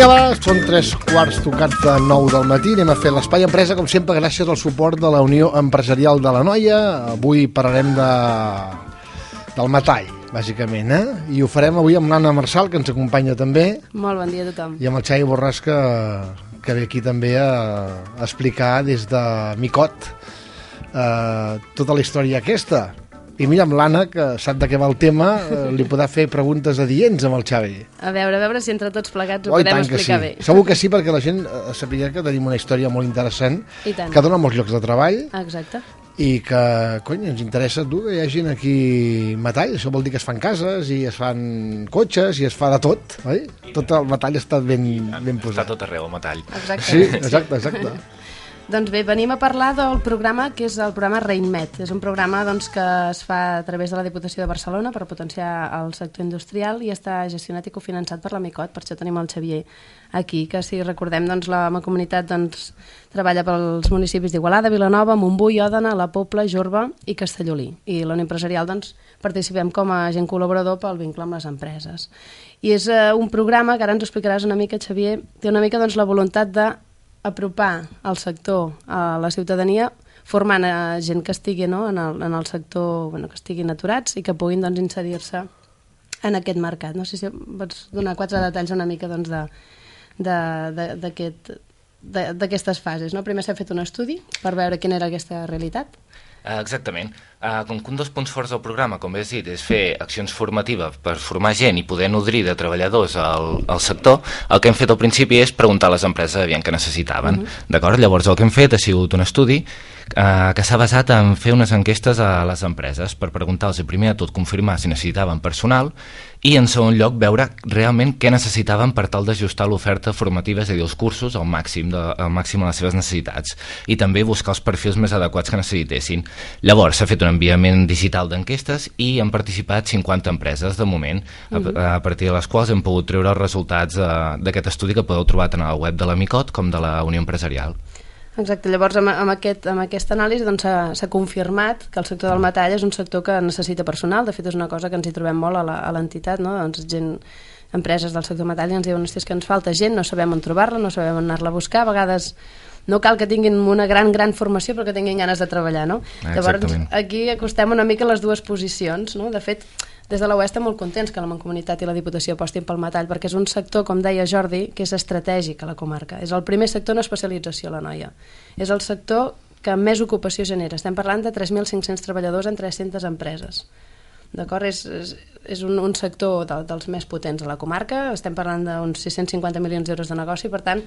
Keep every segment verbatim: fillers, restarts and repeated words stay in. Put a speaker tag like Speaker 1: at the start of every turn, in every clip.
Speaker 1: Vinga, va, són tres quarts tocats de nou del matí. Anem a fer l'Espai Empresa, com sempre, gràcies al suport de la Unió Empresarial de l'Anoia. Avui parlarem de... del metall, bàsicament, eh? I ho farem avui amb l'Anna Marçal, que ens acompanya també.
Speaker 2: Molt bon dia a tothom.
Speaker 1: I amb el Xavi Borràs, que, que ve aquí també a, a explicar des de Micot eh, tota la història aquesta. I mira, amb l'Anna, que sap de què va el tema, eh, li podrà fer preguntes adients amb el Xavi.
Speaker 2: A veure, a veure si entre tots plegats ho
Speaker 1: oh,
Speaker 2: podem explicar
Speaker 1: sí.
Speaker 2: bé.
Speaker 1: Segur que sí, perquè la gent eh, sàpiga que tenim una història molt interessant, que dona molts llocs de treball.
Speaker 2: Exacte.
Speaker 1: I que, cony, ens interessa tu que hi hagi aquí metall. Això vol dir que es fan cases i es fan cotxes i es fa de tot, oi? Tot el metall està ben, ben posat.
Speaker 3: Està tot arreu, el metall.
Speaker 2: Exacte.
Speaker 1: Sí, exacte, exacte.
Speaker 2: Doncs bé, venim a parlar del programa que és el programa REINMET. És un programa doncs, que es fa a través de la Diputació de Barcelona per potenciar el sector industrial i està gestionat i cofinançat per la Micot. Per això tenim el Xavier aquí, que si recordem, doncs, la Mancomunitat doncs, treballa pels municipis d'Igualada, Vilanova, Montbui, Òdena, La Pobla, Jorba i Castellolí. I la Unió Empresarial doncs, participem com a agent col·laborador pel vincle amb les empreses. I és eh, un programa que ara ens ho explicaràs una mica, Xavier, té una mica doncs, la voluntat de apropar el sector a la ciutadania formant a gent que estigui no, en, el, en el sector, bueno, que estiguin aturats i que puguin doncs, inserir-se en aquest mercat. No sé si pots donar quatre detalls una mica doncs, de, de, de, d'aquest, de, d'aquestes fases. No? Primer s'ha fet un estudi per veure quina era aquesta realitat.
Speaker 3: Exactament. Uh, com que un dels punts forts del programa, com bé has dit, és fer accions formatives per formar gent i poder nodrir de treballadors al, al sector, el que hem fet al principi és preguntar a les empreses aviam què necessitaven. Uh -huh. D'acord? Llavors el que hem fet ha sigut un estudi uh, que s'ha basat en fer unes enquestes a les empreses per preguntar-los primer de tot confirmar si necessitaven personal i en segon lloc veure realment què necessitaven per tal d'ajustar l'oferta formativa, és a dir, els cursos al màxim, de, al màxim de les seves necessitats i també buscar els perfils més adequats que necessitessin. Llavors s'ha fet un enviament digital d'enquestes i han participat cinquanta empreses de moment, uh-huh. a, a partir de les quals hem pogut treure els resultats d'aquest estudi que podeu trobar tant a la web de la Micot com de la Unió Empresarial.
Speaker 2: Exacte, llavors amb, amb, aquest, amb aquesta anàlisi doncs, s'ha, s'ha confirmat que el sector del metall és un sector que necessita personal. De fet és una cosa que ens hi trobem molt a, la, a l'entitat, no? Doncs gent, empreses del sector metall ens diuen que ens falta gent, no sabem on trobar-la, no sabem on anar-la a buscar, a vegades no cal que tinguin una gran, gran formació però que tinguin ganes de treballar, no? Llavors aquí acostem una mica les dues posicions, no? De fet, des de la U E estem molt contents que la Mancomunitat i la Diputació apostin pel metall perquè és un sector, com deia Jordi, que és estratègic a la comarca. És el primer sector en especialització a l'Anoia. És el sector que més ocupació genera. Estem parlant de tres mil cinc-cents treballadors en tres-centes empreses. D'acord? És, és, és un, un sector de, dels més potents a la comarca. Estem parlant d'uns sis-cents cinquanta milions d'euros de negoci, per tant,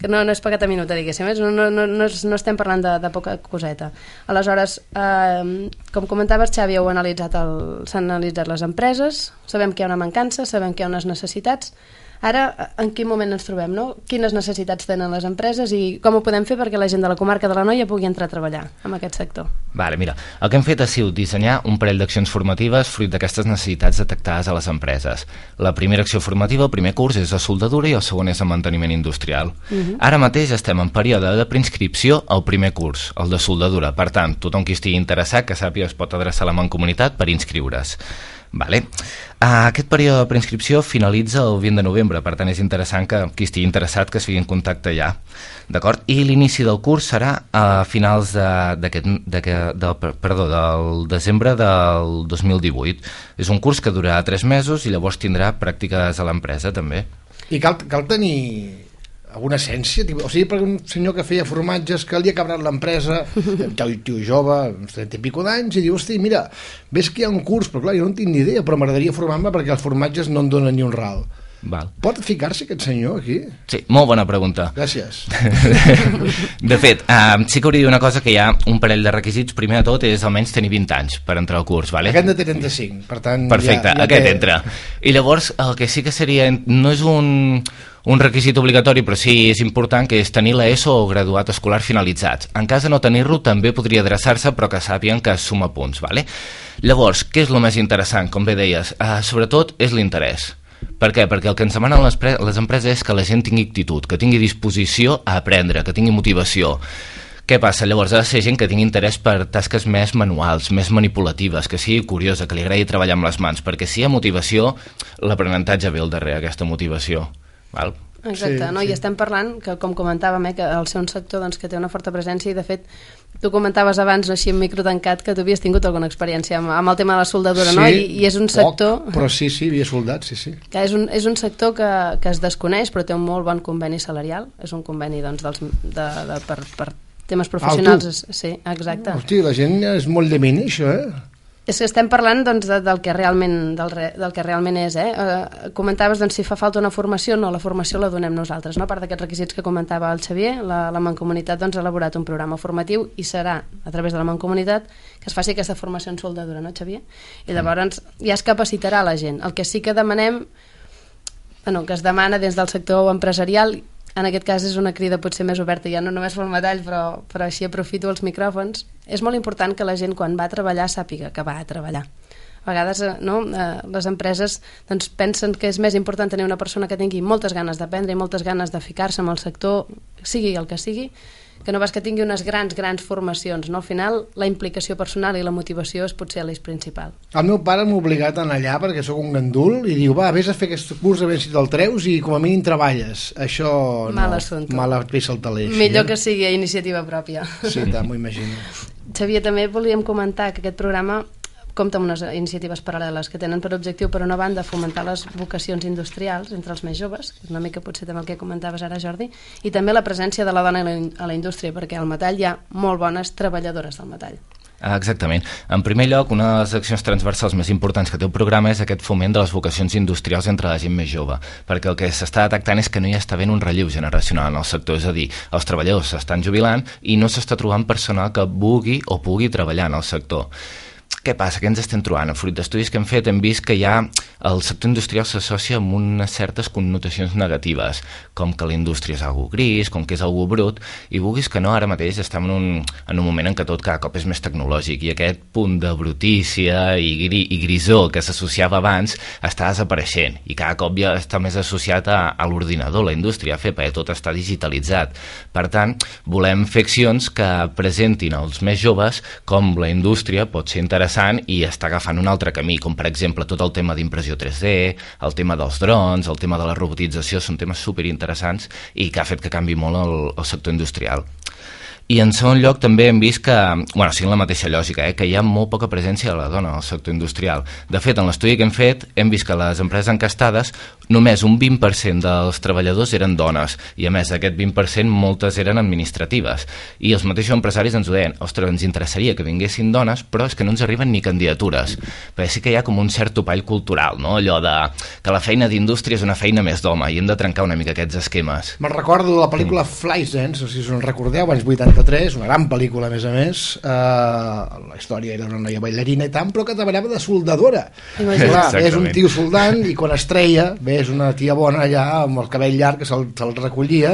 Speaker 2: que no, no és pagat a minuta, diguéssim, no, no, no, no, no estem parlant de, de poca coseta. Aleshores, eh, com comentaves, Xavi, heu analitzat el, s'han analitzat les empreses, sabem que hi ha una mancança, sabem que hi ha unes necessitats. Ara, en quin moment ens trobem, no? Quines necessitats tenen les empreses i com ho podem fer perquè la gent de la comarca de l'Anoia pugui entrar a treballar en aquest sector?
Speaker 3: Vale, mira, el que hem fet ha sigut dissenyar un parell d'accions formatives fruit d'aquestes necessitats detectades a les empreses. La primera acció formativa, el primer curs, és de soldadura i el segon és de manteniment industrial. Uh-huh. Ara mateix estem en període de preinscripció al primer curs, el de soldadura. Per tant, tothom qui estigui interessat que sàpiga es pot adreçar a la Mancomunitat per inscriure's. Vale. Uh, aquest període de preinscripció finalitza el vint de novembre, per tant és interessant que qui estigui interessat que es fiqui en contacte ja. D'acord? I l'inici del curs serà a finals de, d'aquest, d'aquest, del, perdó, del desembre del dos mil divuit. És un curs que durarà tres mesos i llavors tindrà pràctiques a l'empresa també.
Speaker 1: I cal, cal tenir alguna essència? O sigui, per un senyor que feia formatges que li ha cabrat l'empresa, tio, tio jove, uns trenta i pico d'anys, i diu, hosti, mira, ves que hi ha un curs, però clar, jo no en tinc ni idea, però m'agradaria formar-me perquè els formatges no en donen ni un ral.
Speaker 3: Val.
Speaker 1: Pot ficar-se aquest senyor aquí?
Speaker 3: Sí, molt bona pregunta.
Speaker 1: Gràcies.
Speaker 3: De fet, uh, sí que hauria de dir una cosa, que hi ha un parell de requisits. Primer de tot és almenys tenir vint anys per entrar al curs, vale?
Speaker 1: Aquest de trenta-cinc, per tant...
Speaker 3: Perfecte, ja, ja aquest té... entra. I llavors el que sí que seria, no és un, un requisit obligatori, però sí és important, que és tenir l'ESO o graduat escolar finalitzats. En cas de no tenir-lo també podria adreçar-se, però que sàpiguen que suma punts, vale? Llavors, què és el més interessant? Com bé deies, uh, sobretot és l'interès. Per què? Perquè el que ens demanen les, pre- les empreses és que la gent tingui actitud, que tingui disposició a aprendre, que tingui motivació. Què passa? Llavors ha de ser gent que tingui interès per tasques més manuals, més manipulatives, que sigui curiosa, que li agradi treballar amb les mans, perquè si hi ha motivació, l'aprenentatge ve al darrere, aquesta motivació. Val?
Speaker 2: Exacte,
Speaker 1: sí,
Speaker 2: no?
Speaker 1: sí.
Speaker 2: I estem parlant, que com comentàvem, eh, que el ser un sector doncs, que té una forta presència i de fet tu comentaves abans, no, així en micro tancat, que tu havies tingut alguna experiència amb, amb el tema de la soldadura,
Speaker 1: sí,
Speaker 2: no? I, I és un sector...
Speaker 1: Poc, però sí, sí, havia soldat, sí, sí.
Speaker 2: Que és, un, és un sector que, que es desconeix, però té un molt bon conveni salarial. És un conveni doncs, dels, de, de, per, per temes professionals.
Speaker 1: Ah,
Speaker 2: sí, exacte.
Speaker 1: Hosti, la gent és molt de mini, això, eh?
Speaker 2: És que estem parlant doncs, de, del, que realment, del, re, del que realment és. Eh? Eh, comentaves doncs, si fa falta una formació. No, la formació la donem nosaltres. No? A part d'aquests requisits que comentava el Xavier, la, la Mancomunitat doncs, ha elaborat un programa formatiu i serà a través de la Mancomunitat que es faci aquesta formació en soldadura, no, Xavier? I llavors ja es capacitarà la gent. El que sí que demanem, bueno, que es demana des del sector empresarial, en aquest cas és una crida potser més oberta, ja no només pel metall, però, però així aprofito els micròfons. És molt important que la gent quan va a treballar sàpiga que va a treballar. A vegades no, eh, les empreses doncs, pensen que és més important tenir una persona que tingui moltes ganes d'aprendre i moltes ganes de ficar-se en el sector, sigui el que sigui, que no vas que tingui unes grans, grans formacions. No? Al final, la implicació personal i la motivació és potser l'eix principal.
Speaker 1: El meu pare m'ha obligat a anar allà perquè sóc un gandul i diu, va, vés a fer aquest curs a veure si te'l treus i com a mínim treballes. Això no,
Speaker 2: mal assumpte.
Speaker 1: Mala peça al taler.
Speaker 2: Millor
Speaker 1: eh?
Speaker 2: que sigui a iniciativa pròpia.
Speaker 1: Sí, tant, m'ho imagino.
Speaker 2: Xavier, també volíem comentar que aquest programa compta amb unes iniciatives paral·leles que tenen per objectiu, per una banda, fomentar les vocacions industrials entre els més joves, que és una mica potser també el que comentaves ara, Jordi, i també la presència de la dona a la, a la indústria, perquè al metall hi ha molt bones treballadores del metall.
Speaker 3: Exactament. En primer lloc, una de les accions transversals més importants que té el programa és aquest foment de les vocacions industrials entre la gent més jove, perquè el que s'està detectant és que no hi està havent un relleu generacional en el sector, és a dir, els treballadors s'estan jubilant i no s'està trobant personal que vulgui o pugui treballar en el sector. Què passa? Què ens estem trobant? A fruit d'estudis que hem fet hem vist que ja el sector industrial s'associa amb unes certes connotacions negatives, com que la indústria és algo gris, com que és algo brut, i vulguis que no, ara mateix estem en un, en un moment en què tot cada cop és més tecnològic i aquest punt de brutícia i, gri, i grisó que s'associava abans està desapareixent i cada cop ja està més associat a, a l'ordinador, la indústria, a fer, perquè tot està digitalitzat. Per tant, volem fer accions que presentin als més joves com la indústria pot ser interessant i està agafant un altre camí, com per exemple tot el tema d'impressió tres D, el tema dels drons, el tema de la robotització, són temes superinteressants i que ha fet que canvi molt el, el sector industrial. I en segon lloc també hem vist que, bueno, sí, en la mateixa lògica, eh, que hi ha molt poca presència de la dona al sector industrial. De fet, en l'estudi que hem fet, hem vist que les empreses encastades només un vint per cent dels treballadors eren dones i a més d'aquest vint per cent moltes eren administratives. I els mateixos empresaris ens ho deien, ostres, ens interessaria que vinguessin dones, però és que no ens arriben ni candidatures. Perquè sí que hi ha com un cert topall cultural, no? Allò de que la feina d'indústria és una feina més d'home i hem de trencar una mica aquests esquemes.
Speaker 1: Me'n recordo de la pel·lícula Fleischdance, no sé si us en recordeu, anys vuitanta-tres, una gran pel·lícula a més a més, eh, la història era una noia bailarina i tant, però que treballava de soldadora. Clar, és un tio soldant i quan es treia, ves una tia bona allà amb el cabell llarg que se'l se recollia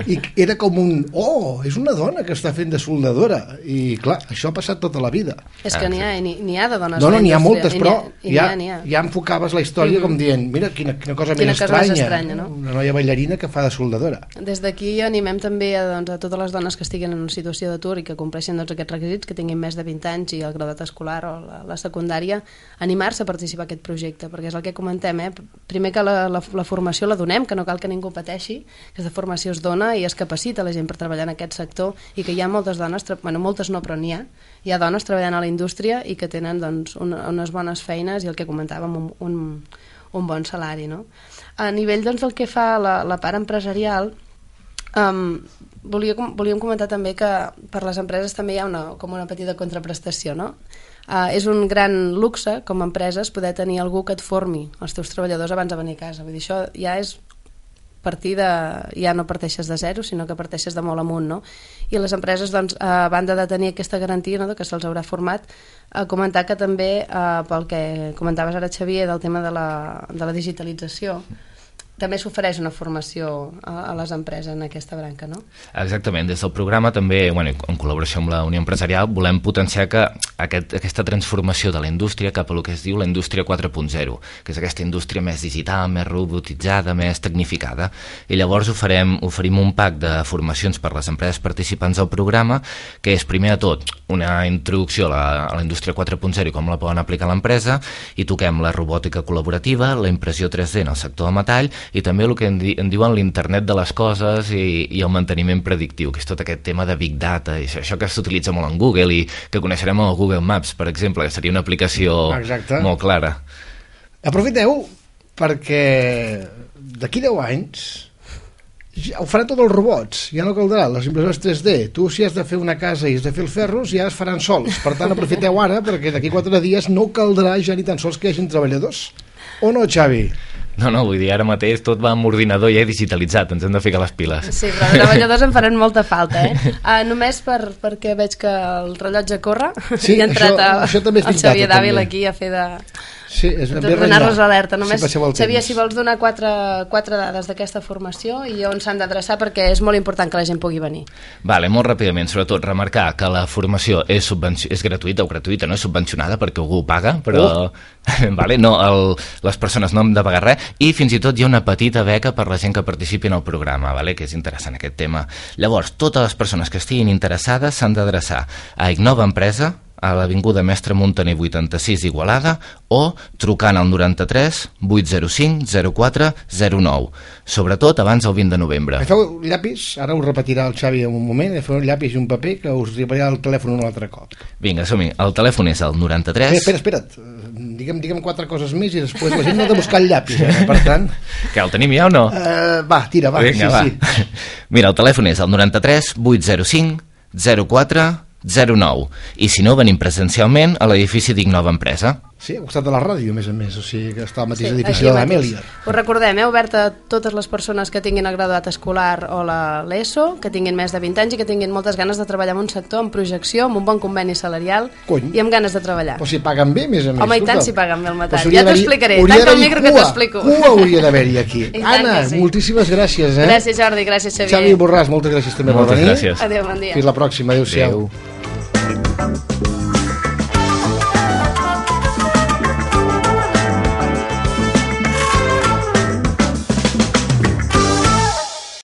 Speaker 1: i era com un, oh, és una dona que està fent de soldadora i clar, això ha passat tota la vida.
Speaker 2: És que n'hi ha, n'hi ha de dones.
Speaker 1: No, no, n'hi ha moltes, però
Speaker 2: ha,
Speaker 1: ja,
Speaker 2: ha, ha.
Speaker 1: ja enfocaves la història mm-hmm. com dient, mira, quina, quina cosa
Speaker 2: quina
Speaker 1: més
Speaker 2: cosa
Speaker 1: estranya,
Speaker 2: més estranya no?
Speaker 1: Una noia bailarina que fa de soldadora.
Speaker 2: Des d'aquí animem també a, doncs, a totes les dones que estiguin en una situació d'atur i que compleixin doncs, aquests requisits, que tinguin més de vint anys i el graduat escolar o la, la secundària, animar-se a participar en aquest projecte, perquè és el que comentem, eh? Primer que la, la, la formació la donem, que no cal que ningú pateixi, aquesta formació es dona i es capacita la gent per treballar en aquest sector i que hi ha moltes dones, bueno, moltes no, però n'hi ha, hi ha dones treballant a la indústria i que tenen doncs, una, unes bones feines i el que comentàvem, un, un, un bon salari. No? A nivell doncs, del que fa la, la part empresarial, um, volia, volíem comentar també que per les empreses també hi ha una, com una petita contraprestació, no? Uh, és un gran luxe, com a empreses, poder tenir algú que et formi els teus treballadors abans de venir a casa. Vull dir, això ja és partir de... ja no parteixes de zero, sinó que parteixes de molt amunt, no? I les empreses, doncs, a banda de tenir aquesta garantia, no?, que se'ls haurà format, a comentar que també, uh, pel que comentaves ara, Xavier, del tema de la, de la digitalització, també s'ofereix una formació a, a les empreses en aquesta branca, no?
Speaker 3: Exactament, des del programa també, bueno, en col·laboració amb la Unió Empresarial, volem potenciar que aquest, aquesta transformació de la indústria cap a el que es diu la indústria quatre punt zero, que és aquesta indústria més digital, més robotitzada, més tecnificada, i llavors oferem, oferim un pack de formacions per les empreses participants del programa, que és primer de tot una introducció a la, a la indústria quatre punt zero i com la poden aplicar a l'empresa, i toquem la robòtica col·laborativa, la impressió tres D en el sector del metall, i també el que en, di en diuen l'internet de les coses i, i el manteniment predictiu, que és tot aquest tema de Big Data, i això, això que s'utilitza molt en Google i que coneixerem al Google Maps, per exemple, que seria una aplicació Exacte. Molt clara.
Speaker 1: Aprofiteu perquè d'aquí deu anys ja ho faran tots els robots, ja no caldrà les impressores tres D, tu si has de fer una casa i has de fer els ferros ja es faran sols, per tant aprofiteu ara perquè d'aquí quatre dies no caldrà ja ni tan sols que hi hagin treballadors, o no, Xavi?
Speaker 3: No, no, vull dir, ara mateix tot va amb ordinador ja digitalitzat, ens hem de ficar les piles.
Speaker 2: Sí, però els treballadors en faran molta falta, eh? Uh, només per, perquè veig que el rellotge corre,
Speaker 1: sí,
Speaker 2: i ha entrat
Speaker 1: això,
Speaker 2: a,
Speaker 1: això també és
Speaker 2: el Xavier Dàvila aquí a fer de...
Speaker 1: Sí, és
Speaker 2: donar-nos alerta. Només,
Speaker 1: sí,
Speaker 2: Xavier, si vols donar quatre, quatre dades d'aquesta formació i on s'han d'adreçar, perquè és molt important que la gent pugui venir.
Speaker 3: Vale, molt ràpidament, sobretot remarcar que la formació és, és gratuïta o gratuïta, no és subvencionada perquè algú ho paga, però oh. vale, no, el, les persones no han de pagar res, i fins i tot hi ha una petita beca per la gent que participi en el programa, vale, que és interessant aquest tema. Llavors, totes les persones que estiguin interessades s'han d'adreçar a Innova Empresa, a l'Avinguda Mestre Muntaner vuitanta-sis Igualada, o trucant al noranta-tres vuit zero cinc zero quatre zero nou, sobretot abans del vint de novembre.
Speaker 1: Agafeu llapis, ara ho repetirà el Xavi en un moment, agafeu un llapis i un paper que us arribarà el telèfon un altre cop.
Speaker 3: Vinga, som-hi, el telèfon és el noranta-tres...
Speaker 1: Espera, espera, espera't, digue'm, digue'm quatre coses més i després la gent no ha de buscar el llapis, eh? Per tant...
Speaker 3: Que el tenim ja o no?
Speaker 1: Uh, va, tira, va,
Speaker 3: Vinga,
Speaker 1: sí,
Speaker 3: va.
Speaker 1: sí.
Speaker 3: Mira, el telèfon és el noranta-tres vuit zero cinc zero quatre zero nou, i si no venim presencialment a l'edifici d'Innova Empresa.
Speaker 1: Sí, al costat de la ràdio, a més a més, o sigui que està al mateix
Speaker 2: sí,
Speaker 1: edifici de l'Amèlia.
Speaker 2: Us recordem, heu obert a totes les persones que tinguin el graduat escolar o l'ESO, que tinguin més de vint anys i que tinguin moltes ganes de treballar en un sector amb projecció, amb un bon conveni salarial
Speaker 1: Cony.
Speaker 2: I amb ganes de treballar.
Speaker 1: Però si paguen bé, a més a més.
Speaker 2: Home, i tant si paguen bé el metall. Ja t'ho explicaré,
Speaker 1: tanca
Speaker 2: el micro que t'explico.
Speaker 1: Cua hauria d'haver-hi aquí. Anna,
Speaker 2: sí.
Speaker 1: moltíssimes gràcies. Eh?
Speaker 2: Gràcies, Jordi, gràcies, Xavier.
Speaker 1: Xavi Borràs, moltes gràcies també
Speaker 3: moltes
Speaker 1: per venir.
Speaker 3: Gràcies.
Speaker 2: Adéu, bon dia.
Speaker 1: Fins la pròxima, adéu-siau.
Speaker 3: Adéu.